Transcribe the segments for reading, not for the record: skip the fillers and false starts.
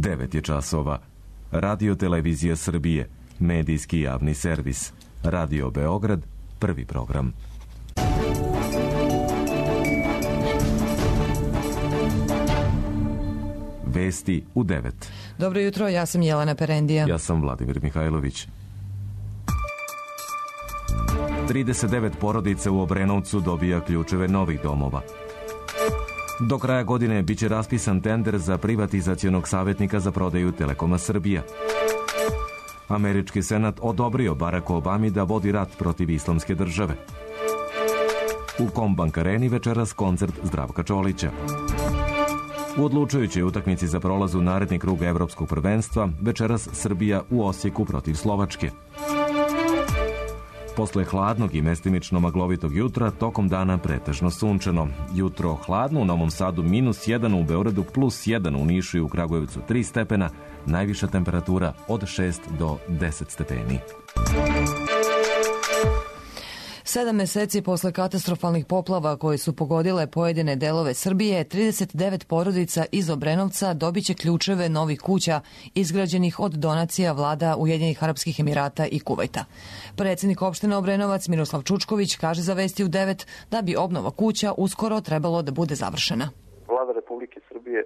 9 je časova. Radio Televizija Srbije, medijski javni servis. Radio Beograd, prvi program. Vesti u 9. Dobro jutro, ja sam Jelena Perendija. Ja sam Vladimir Mihajlović. 39 porodica u Obrenovcu dobija ključeve novih domova. Do kraja godine biće raspisan tender za privatizacionog savjetnika za prodaju Telekoma Srbija. Američki senat odobrio Baracku Obami da vodi rat protiv islamske države. U Kombank areni večeras koncert Zdravka Čolića. U odlučujućoj utakmici za prolaz u naredni krug evropskog prvenstva večeras Srbija u Osijeku protiv Slovačke. Posle hladnog i mestimično maglovitog jutra, tokom dana pretežno sunčano. Jutro hladno, u Novom Sadu -1, u Beogradu +1, u Nišu i u Kragujevcu 3 stepena, najviša temperatura od 6 do 10 stepeni. 7 meseci posle katastrofalnih poplava koje su pogodile pojedine delove Srbije, 39 porodica iz Obrenovca dobiće ključeve novih kuća izgrađenih od donacija vlada Ujedinjenih Arapskih Emirata i Kuvajta. Predsjednik opštine Obrenovac Miroslav Čučković kaže za Vesti u 9 da bi obnova kuća uskoro trebalo da bude završena. Vlada Republike Srbije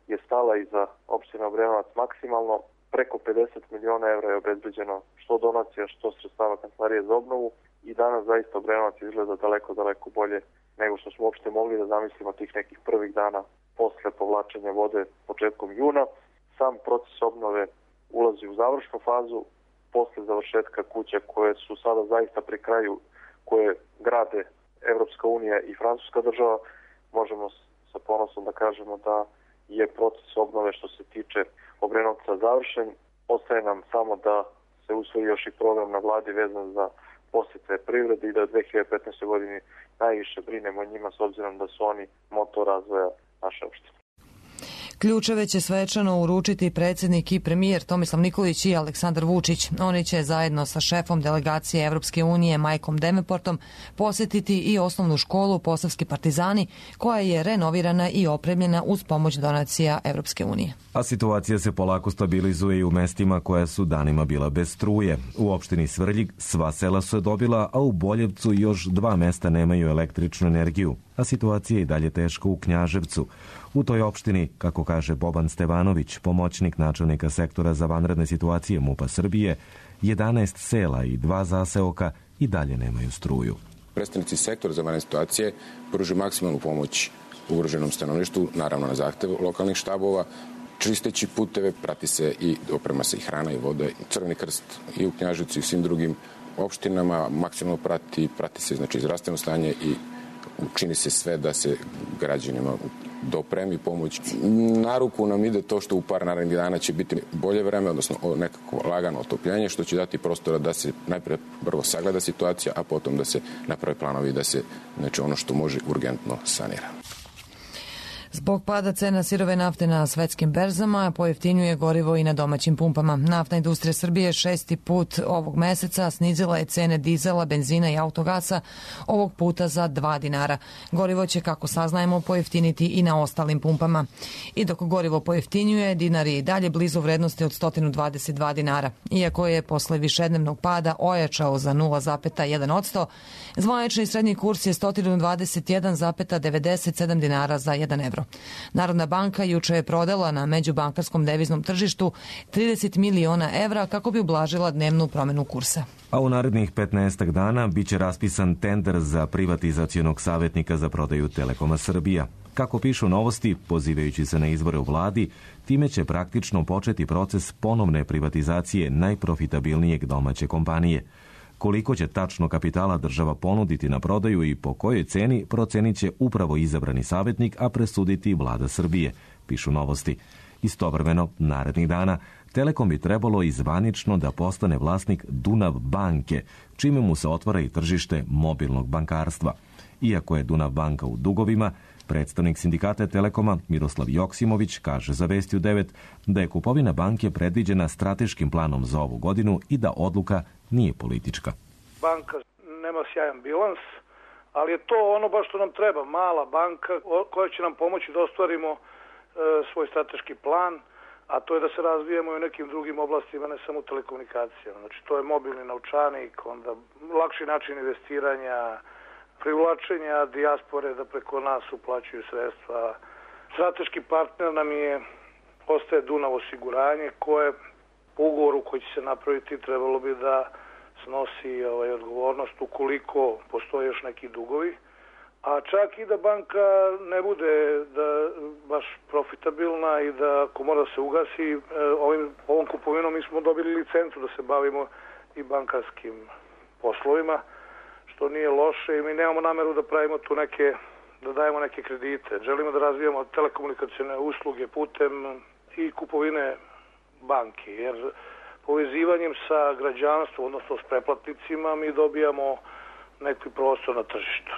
je stala iza opštine Obrenovac maksimalno. Preko 50 miliona evra je obezbeđeno što donacija, što sredstava Kancelarije za obnovu. I danas zaista Obrenovac izgleda daleko bolje nego što smo uopšte mogli da zamislimo tih nekih prvih dana posle povlačenja vode početkom juna. Sam proces obnove ulazi u završnu fazu posle završetka kuća koje su sada zaista pri kraju, koje grade Evropska unija i Francuska država. Možemo sa ponosom da kažemo da je proces obnove što se tiče Obrenovca završen. Ostaje nam samo da se usvoji još i program na vladi vezan za posjece privrede i da u 2015. godini najviše brinemo o njima s obzirom da su oni motor razvoja naše opštine. Ključeve će svečano uručiti predsjednik i premijer Tomislav Nikolić i Aleksandar Vučić. Oni će zajedno sa šefom delegacije Evropske unije Majkom Devenportom posjetiti i osnovnu školu Posavski partizani koja je renovirana i opremljena uz pomoć donacija Evropske unije. A situacija se polako stabilizuje i u mestima koja su danima bila bez struje. U opštini Svrljig sva sela su je dobila, a u Boljevcu još 2 mesta nemaju električnu energiju. A situacija je i dalje teška u Knjaževcu. U toj opštini, kako kaže Boban Stevanović, pomoćnik načelnika sektora za vanredne situacije MUP-a Srbije, 11 sela i 2 zaseoka i dalje nemaju struju. Predstavnici sektora za vanredne situacije pružuju maksimalnu pomoć ugroženom stanovništvu, naravno na zahtev lokalnih štabova, čisteći puteve, prati se i oprema se i hrana i voda. Crveni krst i u Knjaževcu i u svim drugim opštinama maksimalno prati se znači zdravstveno stanje i učini se sve da se građanima dopremi pomoć. Na ruku nam ide to što u par narednih dana će biti bolje vreme, odnosno nekako lagano otopljenje, što će dati prostora da se najprije prvo sagleda situacija, a potom da se naprave planovi da se znači ono što može urgentno sanira. Zbog pada cena sirove nafte na svetskim berzama pojeftinjuje gorivo i na domaćim pumpama. Naftna industrija Srbije 6. put ovog meseca snizila je cene dizela, benzina i autogasa, ovog puta za 2 dinara. Gorivo će, kako saznajemo, pojeftiniti i na ostalim pumpama. I dok gorivo pojeftinjuje, dinar je i dalje blizu vrednosti od 122 dinara. Iako je posle višednevnog pada ojačao za 0,1%, zvanični srednji kurs je 121,97 dinara za 1 evro. Narodna banka juče je prodala na međubankarskom deviznom tržištu 30 miliona evra kako bi ublažila dnevnu promenu kursa. A u narednih 15 dana biće raspisan tender za privatizacionog savjetnika za prodaju Telekoma Srbija. Kako pišu Novosti, pozivajući se na izbore u vladi, time će praktično početi proces ponovne privatizacije najprofitabilnijeg domaće kompanije. Koliko će tačno kapitala država ponuditi na prodaju i po kojoj ceni procenit će upravo izabrani savjetnik, a presuditi vlada Srbije, pišu Novosti. Istovremeno, narednih dana, Telekom bi trebalo i zvanično da postane vlasnik Dunav banke, čime mu se otvara i tržište mobilnog bankarstva. Iako je Dunav banka u dugovima, predstavnik sindikata Telekoma Miroslav Joksimović kaže za Vesti u 9 da je kupovina banke predviđena strateškim planom za ovu godinu i da odluka nije politička. Banka nema sjajan bilans, ali je to ono baš što nam treba, mala banka koja će nam pomoći da ostvarimo svoj strateški plan, a to je da se razvijemo i u nekim drugim oblastima, ne samo u telekomunikacijama. Znači, to je mobilni novčanik, onda lakši način investiranja, privlačenja dijaspore da preko nas uplaćuju sredstva. Strateški partner nam ostaje Dunav osiguranje, koje po ugovoru koji će se napraviti trebalo bi da snosi odgovornost ukoliko postoje još neki dugovi. A čak i da banka ne bude baš profitabilna i da ako mora da se ugasi, ovom kupovinom mi smo dobili licencu da se bavimo i bankarskim poslovima, što nije loše i mi nemamo nameru da pravimo tu da dajemo neke kredite. Želimo da razvijamo telekomunikacione usluge putem i kupovine banki, jer povezivanjem sa građanstvom, odnosno s preplatnicima, mi dobijamo neki prostor na tržištu.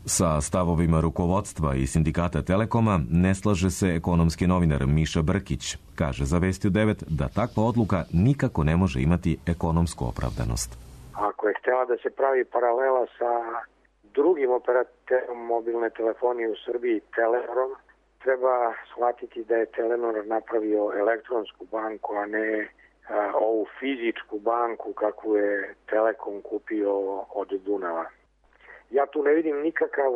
Sa stavovima rukovodstva i sindikata Telekoma ne slaže se ekonomski novinar Miša Brkić. Kaže za Vesti u 9 da takva odluka nikako ne može imati ekonomsku opravdanost. Ako je htjela da se pravi paralela sa drugim operaterom mobilne telefonije u Srbiji, Telenorom, treba shvatiti da je Telenor napravio elektronsku banku, a ne ovu fizičku banku kakvu je Telekom kupio od Dunava. Ja tu ne vidim nikakav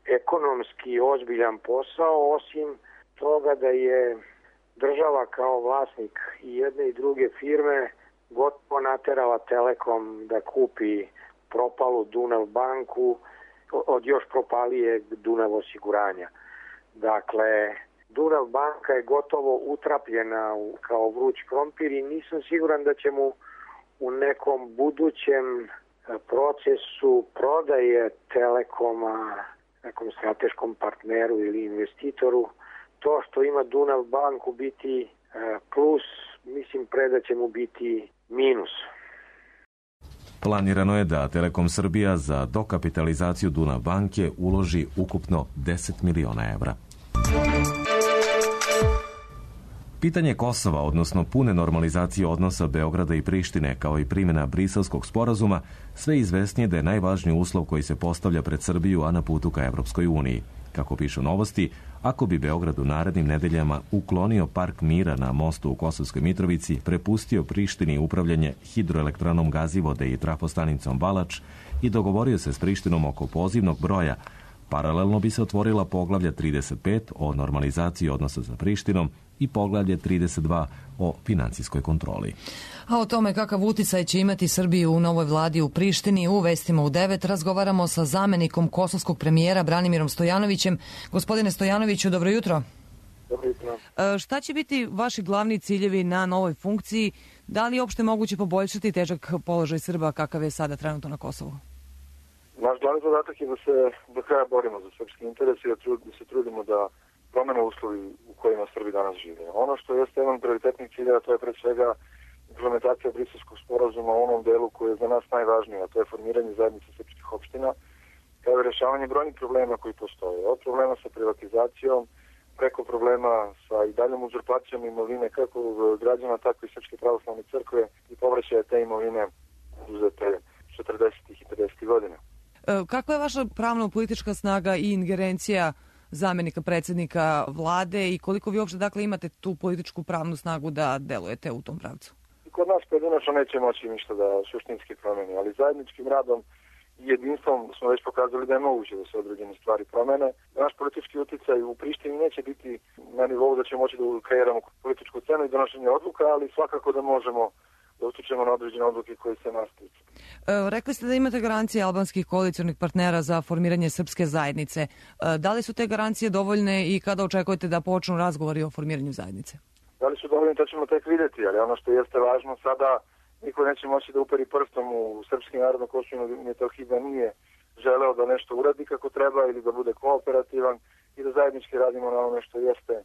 ekonomski ozbiljan posao, osim toga da je država kao vlasnik i jedne i druge firme gotovo naterala Telekom da kupi propalu Dunav banku od još propalijeg Dunav osiguranja. Dakle, Dunav banka je gotovo utrapljena kao vruć krompir i nisam siguran da će mu u nekom budućem procesu prodaje Telekoma nekom strateškom partneru ili investitoru to što ima Dunav banku biti plus, mislim da će mu biti minus. Planirano je da Telekom Srbija za dokapitalizaciju Dunav banke uloži ukupno 10 miliona evra. Pitanje Kosova, odnosno pune normalizacije odnosa Beograda i Prištine, kao i primjena Briselskog sporazuma, sve izvesnije da je najvažniji uslov koji se postavlja pred Srbiju, a na putu ka Evropskoj uniji. Kako pišu Novosti, ako bi Beograd u narednim nedeljama uklonio park mira na mostu u Kosovskoj Mitrovici, prepustio Prištini upravljanje hidroelektranom Gazivode i trafostanicom Balač i dogovorio se s Prištinom oko pozivnog broja, paralelno bi se otvorila poglavlja 35 o normalizaciji odnosa sa Prištinom i poglavlje 32 o financijskoj kontroli. A o tome kakav uticaj će imati Srbiju u novoj vladi u Prištini u Vestima u 9 razgovaramo sa zamenikom kosovskog premijera Branimirom Stojanovićem. Gospodine Stojanoviću, dobro jutro. Dobro jutro. Šta će biti vaši glavni ciljevi na novoj funkciji? Da li je uopšte moguće poboljšati težak položaj Srba kakav je sada trenutno na Kosovu? Naš glavni zadatak je da se do kraja borimo za srpski interes i da se trudimo da promene uslovi u kojima Srbi danas žive. Ono što jeste jedan prioritetnih ciljeva, to je pre svega implementacija Briselskog sporazuma u onom delu koji je za nas najvažniji, a to je formiranje zajednice srpskih opština, kao i rešavanje brojnih problema koji postoje. Od problema sa privatizacijom, preko problema sa i daljom uzurpacijom imovine kako građana, tako i Srpske pravoslavne crkve i povraćaja te imovine uzete 40. i 50. godina. Kakva je vaša pravno-politička snaga i ingerencija zamenika predsjednika vlade i koliko vi uopšte imate tu političku pravnu snagu da delujete u tom pravcu? Kod nas pojedinačno neće moći ništa da suštinski promeni, ali zajedničkim radom i jedinstvom smo već pokazali da je moguće da se određene stvari promene. Naš politički uticaj u Prištini neće biti na nivou da ćemo moći da kreiramo političku scenu i donošenje odluka, ali svakako da možemo da utičemo na određene odluke koje se nas tiču. Rekli ste da imate garancije albanskih koalicionih partnera za formiranje srpske zajednice. Da li su te garancije dovoljne i kada očekujete da počnu razgovori o formiranju zajednice? Da li su dovoljni, to ćemo tek vidjeti, ali ono što jeste važno sada, niko neće moći da uperi prstom u srpski narod na Kosovu i Metohiji da nije želeo da nešto uradi kako treba ili da bude kooperativan i da zajednički radimo na onome što jeste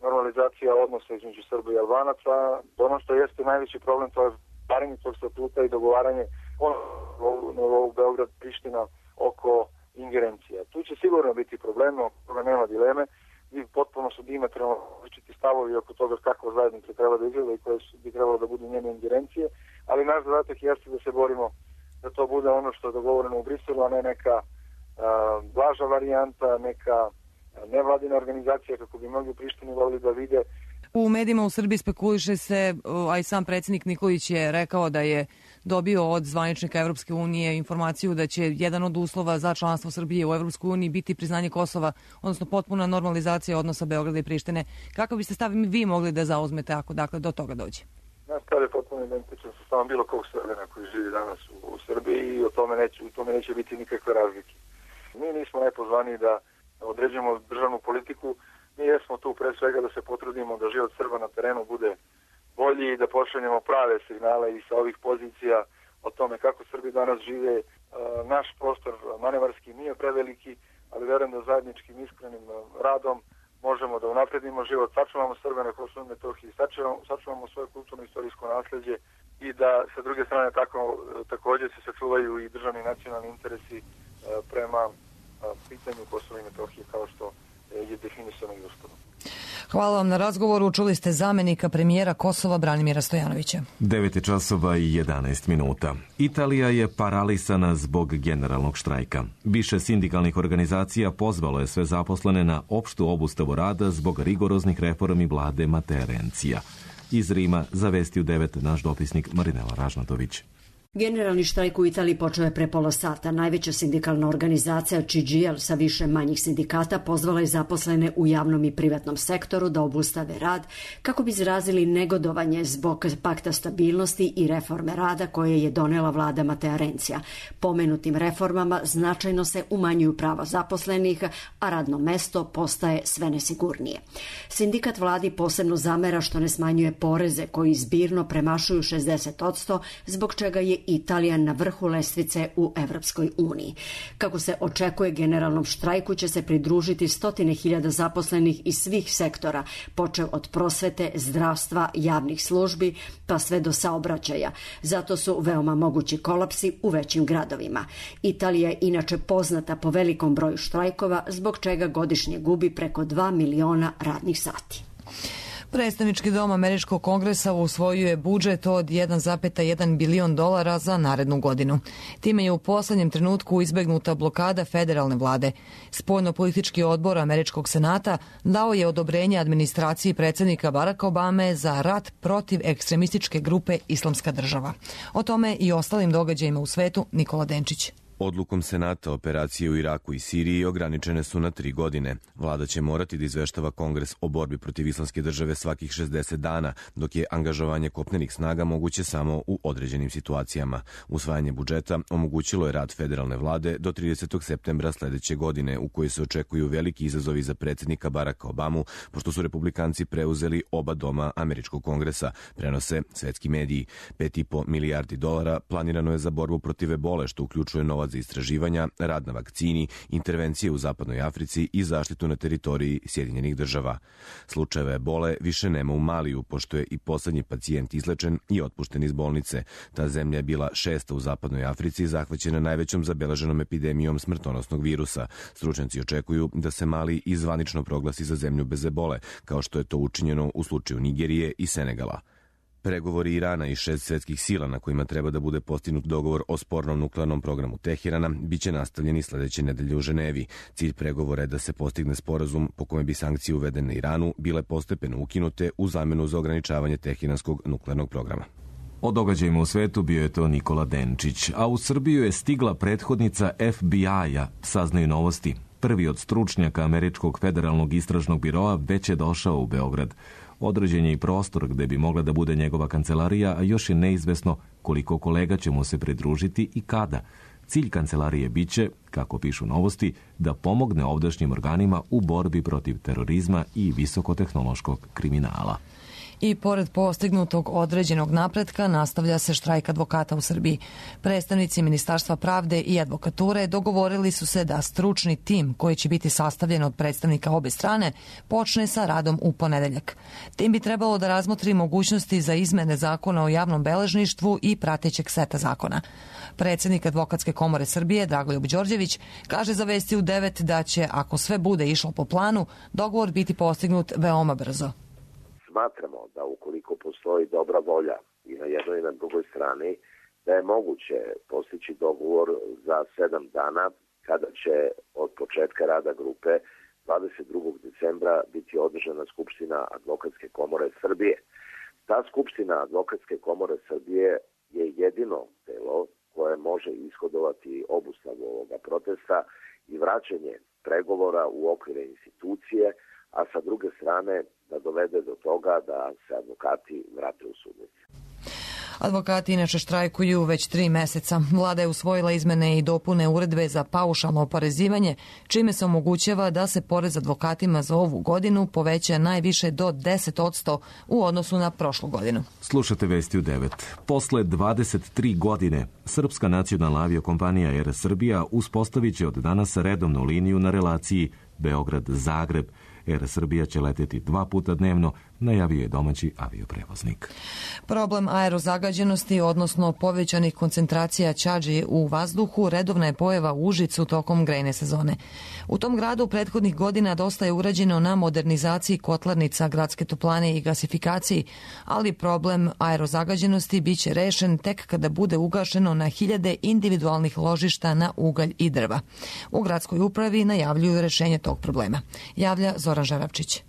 normalizacija odnosa između Srba i Albanaca. Ono što jeste najveći problem, to je stvaranje tog statuta i dogovaranje novog Beograd-Priština oko ingerencija. Tu će sigurno biti problema, oko toga nema dileme. I potpuno su diametralno različiti stavovi oko toga kakva zajednica treba da izgleda i koje bi trebalo da budu njene ingerencije, ali naš zadatak jeste da se borimo da to bude ono što je dogovoreno u Briselu, a ne neka blaža varijanta, neka nevladina organizacija kako bi mnogi u Prištini volili da vide. U medijima u Srbiji spekuliše se, a i sam predsjednik Nikolić je rekao da je dobio od zvaničnika Evropske unije informaciju da će jedan od uslova za članstvo Srbije u Evropskoj uniji biti priznanje Kosova, odnosno potpuna normalizacija odnosa Beograda i Prištine. Kako biste stav vi mogli da zauzmete ako do toga dođe? Naš stav je potpuno identičan sa stavom bilo kog Srbina koji živi danas u Srbiji i u tome neće biti nikakve razlike. Mi nismo najpozvaniji da određujemo državnu politiku. Mi jesmo tu pre svega da se potrudimo da život Srba na terenu bude bolji i da pošaljemo prave signale i sa ovih pozicija o tome kako Srbi danas žive. Naš prostor manevarski nije preveliki, ali verujem da zajedničkim iskrenim radom možemo da unapredimo život, sačuvamo Srbe na Kosovu i Metohiji, sačuvamo svoje kulturno istorijsko nasleđe i da sa druge strane također se sačuvaju i državni nacionalni interesi prema pitanju Kosova i Metohije kao što je definisano i Ustavom. Hvala vam na razgovoru. Čuli ste zamenika premijera Kosova Branimira Stojanovića. 9:11. Italija je paralisana zbog generalnog štrajka. Više sindikalnih organizacija pozvalo je sve zaposlene na opštu obustavu rada zbog rigoroznih reformi vlade Matea Rencija. Iz Rima za Vesti u 9 naš dopisnik Marinela Ražnatović. Generalni štrajk u Italiji počeo je pre pola sata. Najveća sindikalna organizacija CGIL sa više manjih sindikata pozvala je zaposlene u javnom i privatnom sektoru da obustave rad kako bi izrazili negodovanje zbog pakta stabilnosti i reforme rada koje je donela vlada Matea Rencija. Pomenutim reformama značajno se umanjuju prava zaposlenih, a radno mesto postaje sve nesigurnije. Sindikat vladi posebno zamera što ne smanjuje poreze koji zbirno premašuju 60%, zbog čega je Italija na vrhu lestvice u Evropskoj uniji. Kako se očekuje, generalnom štrajku će se pridružiti 100.000 zaposlenih iz svih sektora, počev od prosvete, zdravstva, javnih službi, pa sve do saobraćaja. Zato su veoma mogući kolapsi u većim gradovima. Italija je inače poznata po velikom broju štrajkova, zbog čega godišnje gubi preko 2 miliona radnih sati. Predstavnički dom Američkog kongresa usvojio je budžet od $1,1 bilion za narednu godinu. Time je u poslednjem trenutku izbegnuta blokada federalne vlade. Spoljno-politički odbor Američkog senata dao je odobrenje administraciji predsjednika Baracka Obame za rat protiv ekstremističke grupe Islamska država. O tome i ostalim događajima u svetu Nikola Denčić. Odlukom Senata operacije u Iraku i Siriji ograničene su na 3 godine. Vlada će morati da izveštava Kongres o borbi protiv Islamske države svakih 60 dana, dok je angažovanje kopnenih snaga moguće samo u određenim situacijama. Usvajanje budžeta omogućilo je rad federalne vlade do 30. septembra sledeće godine, u kojoj se očekuju veliki izazovi za predsjednika Baracka Obamu, pošto su republikanci preuzeli oba doma Američkog kongresa, prenose svetski mediji. $5,5 milijardi planirano je za borbu protiv ebole, što uključuje novac za istraživanja, rad na vakcini, intervencije u zapadnoj Africi i zaštitu na teritoriji Sjedinjenih država. Slučajeve ebole više nema u Maliju, pošto je i poslednji pacijent izlečen i otpušten iz bolnice. Ta zemlja je bila 6. u zapadnoj Africi, zahvaćena najvećom zabeleženom epidemijom smrtonosnog virusa. Stručnjaci očekuju da se Mali i zvanično proglasi za zemlju bez ebole, kao što je to učinjeno u slučaju Nigerije i Senegala. Pregovori Irana i 6 svetskih sila na kojima treba da bude postignut dogovor o spornom nuklearnom programu Teherana biće nastavljeni sledeće nedelje u Ženevi. Cilj pregovora je da se postigne sporazum po kome bi sankcije uvedene Iranu bile postepeno ukinute u zamenu za ograničavanje teheranskog nuklearnog programa. O događajima u svetu bio je to Nikola Denčić, a u Srbiju je stigla prethodnica FBI-a, saznaju Novosti. Prvi od stručnjaka Američkog federalnog istražnog biroa već je došao u Beograd. Određen je i prostor gde bi mogla da bude njegova kancelarija, a još je neizvesno koliko kolega će mu se pridružiti i kada. Cilj kancelarije biće, kako pišu Novosti, da pomogne ovdašnjim organima u borbi protiv terorizma i visokotehnološkog kriminala. I pored postignutog određenog napretka nastavlja se štrajk advokata u Srbiji. Predstavnici Ministarstva pravde i advokature dogovorili su se da stručni tim koji će biti sastavljen od predstavnika obe strane počne sa radom u ponedeljak. Tim bi trebalo da razmotri mogućnosti za izmene zakona o javnom beležništvu i pratećeg seta zakona. Predsjednik Advokatske komore Srbije Dragoljub Đorđević kaže za Vesti u 9 da će, ako sve bude išlo po planu, dogovor biti postignut veoma brzo. Smatramo da ukoliko postoji dobra volja i na jednoj i na drugoj strani, da je moguće postići dogovor za 7 dana kada će od početka rada grupe 22. decembra biti održana Skupština Advokatske komore Srbije. Ta Skupština Advokatske komore Srbije je jedino telo koje može ishodovati obustavu ovoga protesta i vraćanje pregovora u okvire institucije, a sa druge strane da dovede do toga da se advokati vrate u sudnice. Advokati inače štrajkuju već 3 meseca. Vlada je usvojila izmene i dopune uredbe za paušalno oporezivanje, čime se omogućava da se porez advokatima za ovu godinu poveća najviše do 10% u odnosu na prošlu godinu. Slušate Vesti u 9. Posle 23 godine, Srpska nacionalna aviokompanija Air Srbija uspostavit će od danas redovnu liniju na relaciji Beograd-Zagreb. Air Srbija će leteti 2 puta dnevno, najavio je domaći avioprevoznik. Problem aerozagađenosti, odnosno povećanih koncentracija ćađi u vazduhu, redovna je pojava u Užicu tokom grejne sezone. U tom gradu prethodnih godina dosta je urađeno na modernizaciji kotlarnica, gradske toplane i gasifikaciji, ali problem aerozagađenosti biće rešen tek kada bude ugašeno na hiljade individualnih ložišta na ugalj i drva. U gradskoj upravi najavljuju rešenje tog problema. Javlja Zoran Žaravčić.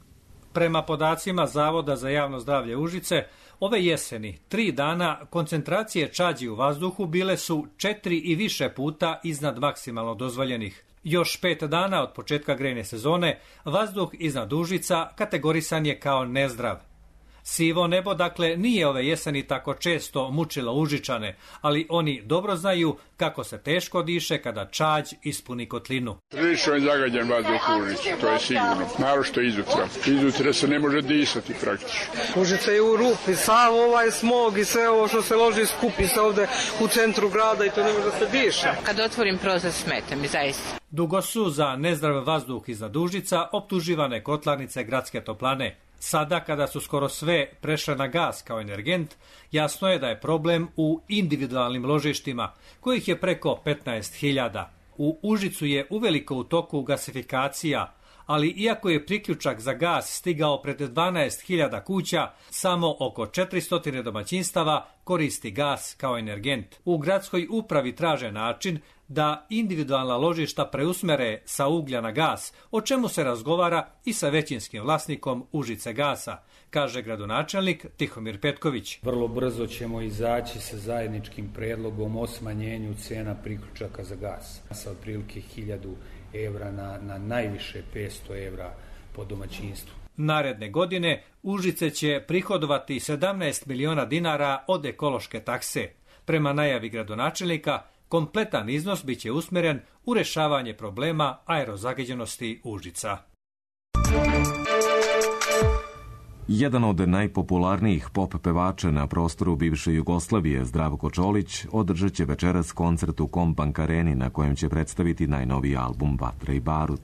Prema podacima Zavoda za javno zdravlje Užice, ove jeseni 3 dana koncentracije čađi u vazduhu bile su 4 i više puta iznad maksimalno dozvoljenih. Još 5 dana od početka grejne sezone vazduh iznad Užica kategorisan je kao nezdrav. Sivo nebo, dakle, nije ove jeseni tako često mučilo Užičane, ali oni dobro znaju kako se teško diše kada čađ ispuni kotlinu. Prilično je zagađen vazduh u Užicu, to je sigurno. Naročito izutra. Izutra se ne može disati praktično. Užica je u rupi, sav ovaj smog i sve ovo što se loži skupi se ovde u centru grada i to ne može da se diše. Kad otvorim prozor smeta mi zaista. Dugo su za nezdrav vazduh iznad Užica optuživane kotlarnice gradske toplane. Sada, kada su skoro sve prešle na gas kao energent, jasno je da je problem u individualnim ložištima, kojih je preko 15.000. U Užicu je uveliko u toku gasifikacija, ali iako je priključak za gas stigao pred 12.000 kuća, samo oko 400 domaćinstava koristi gas kao energent. U gradskoj upravi traže način da individualna ložišta preusmere sa uglja na gas, o čemu se razgovara i sa većinskim vlasnikom Užice gasa, kaže gradonačelnik Tihomir Petković. Vrlo brzo ćemo izaći sa zajedničkim predlogom o smanjenju cena priključaka za gas sa otprilike 1000 evra na najviše 500 evra po domaćinstvu. Naredne godine Užice će prihodovati 17 miliona dinara od ekološke takse. Prema najavi gradonačelnika, kompletan iznos biće usmeren u rešavanje problema aerozagađenosti Užica. Jedan od najpopularnijih pop pevača na prostoru bivše Jugoslavije, Zdravko Čolić, održat će večeras koncert u Kombank areni na kojem će predstaviti najnoviji album Vatra i barut.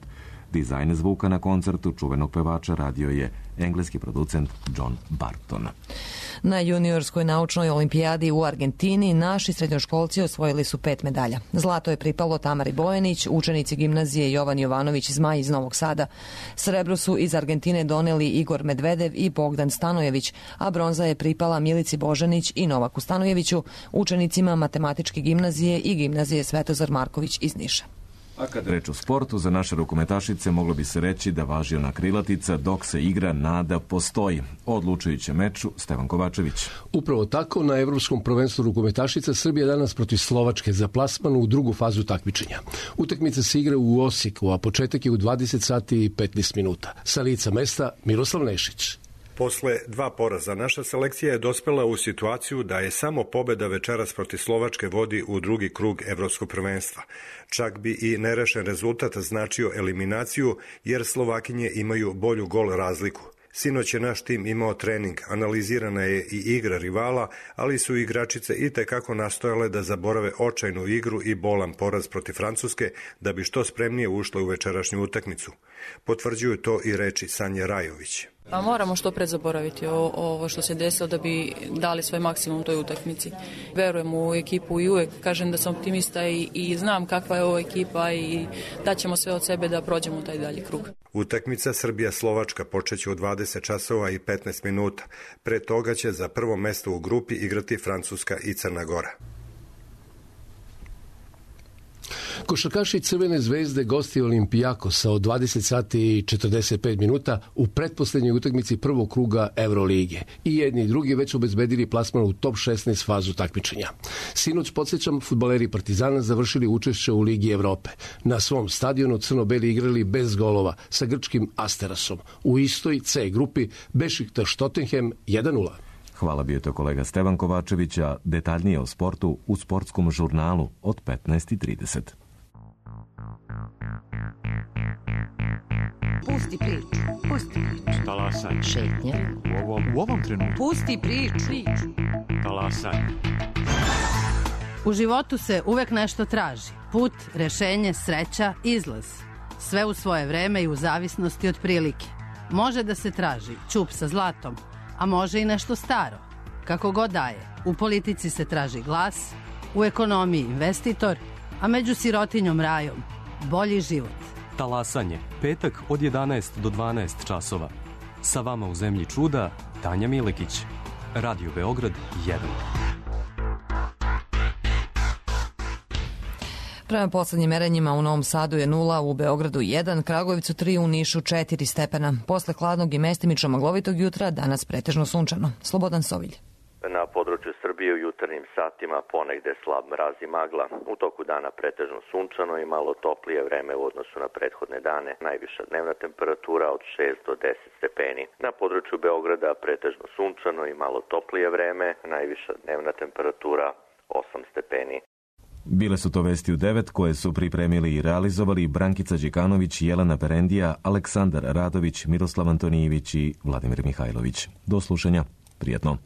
Dizajn zvuka na koncertu čuvenog pevača radio je engleski producent John Barton. Na juniorskoj naučnoj olimpijadi u Argentini naši srednjoškolci osvojili su 5 medalja. Zlato je pripalo Tamari Bojanić, učenici gimnazije Jovan Jovanović Zmaj iz Novog Sada. Srebro su iz Argentine doneli Igor Medvedev i Bogdan Stanojević, a bronza je pripala Milici Božanić i Novaku Stanojeviću, učenicima matematičke gimnazije i gimnazije Svetozar Marković iz Niša. A kad reč o sportu, za naše rukometašice moglo bi se reći da važi ona krilatica dok se igra nada postoji. O odlučujućem meču Stevan Kovačević. Upravo tako, na Evropskom prvenstvu rukometašica Srbija danas protiv Slovačke za plasman u drugu fazu takmičenja. Utakmica se igra u Osijeku, a početak je u 20 sati i 15 minuta. Sa lica mesta Miroslav Nešić. Posle 2 poraza, naša selekcija je dospela u situaciju da je samo pobeda večeras protiv Slovačke vodi u drugi krug Evropskog prvenstva. Čak bi i nerešen rezultat značio eliminaciju, jer Slovakinje imaju bolju gol razliku. Sinoć je naš tim imao trening, analizirana je i igra rivala, ali su igračice i tekako nastojale da zaborave očajnu igru i bolan poraz protiv Francuske da bi što spremnije ušle u večerašnju utakmicu. Potvrđuju to i reči Sanje Rajović. Pa moramo što pre zaboraviti ovo što se desilo da bi dali svoj maksimum toj utakmici. Verujem u ekipu i uvek kažem da sam optimista i znam kakva je ovo ekipa i daćemo sve od sebe da prođemo u taj dalji krug. Utakmica Srbija-Slovačka počeće u 20 časova i 15 minuta. Pre toga će za prvo mesto u grupi igrati Francuska i Crna Gora. Košarkaši Crvene zvezde gosti Olimpijakosa od 20 sati i 45 minuta u pretposlednjoj utakmici prvog kruga Evrolige. I jedni i drugi već obezbedili plasman u top 16 fazu takmičenja. Sinoć, podsjećam, fudbaleri Partizana završili učešće u Ligi Evrope. Na svom stadionu crno-beli igrali bez golova sa grčkim Asterasom. U istoj C grupi Bešiktaš Tottenham 1:0. Hvala, bio to kolega Stevan Kovačević, a detaljnije o sportu u sportskom žurnalu od 15:30. Pusti priču, pusti priču. Talasanje. Šetnje. U ovom trenutku. Pusti priču. Talasanje. U životu se uvek nešto traži. Put, rešenje, sreća, izlaz. Sve u svoje vreme i u zavisnosti od prilike. Može da se traži ćup sa zlatom, a može i nešto staro. Kako god daje, u politici se traži glas, u ekonomiji investitor, a među sirotinjom rajom bolji život. Talasanje, petak od 11 do 12 časova. Sa vama u zemlji čuda, Tanja Milekić. Radio Beograd 1. Prema poslednjim merenjima u Novom Sadu je 0, u Beogradu 1, Kragujevcu 3, u Nišu 4 stepena. Posle hladnog i mestimično maglovitog jutra danas pretežno sunčano. Slobodan Sovilj. Na području Srbije u jutarnjim satima ponegde slab mraz i magla. U toku dana pretežno sunčano i malo toplije vreme u odnosu na prethodne dane. Najviša dnevna temperatura od 6 do 10 stepeni. Na području Beograda pretežno sunčano i malo toplije vreme. Najviša dnevna temperatura 8 stepeni. Bile su to vesti u 9 koje su pripremili i realizovali Brankica Đikanović, Jelena Perendija, Aleksandar Radović, Miroslav Antonijević i Vladimir Mihajlović. Do slušanja. Prijetno.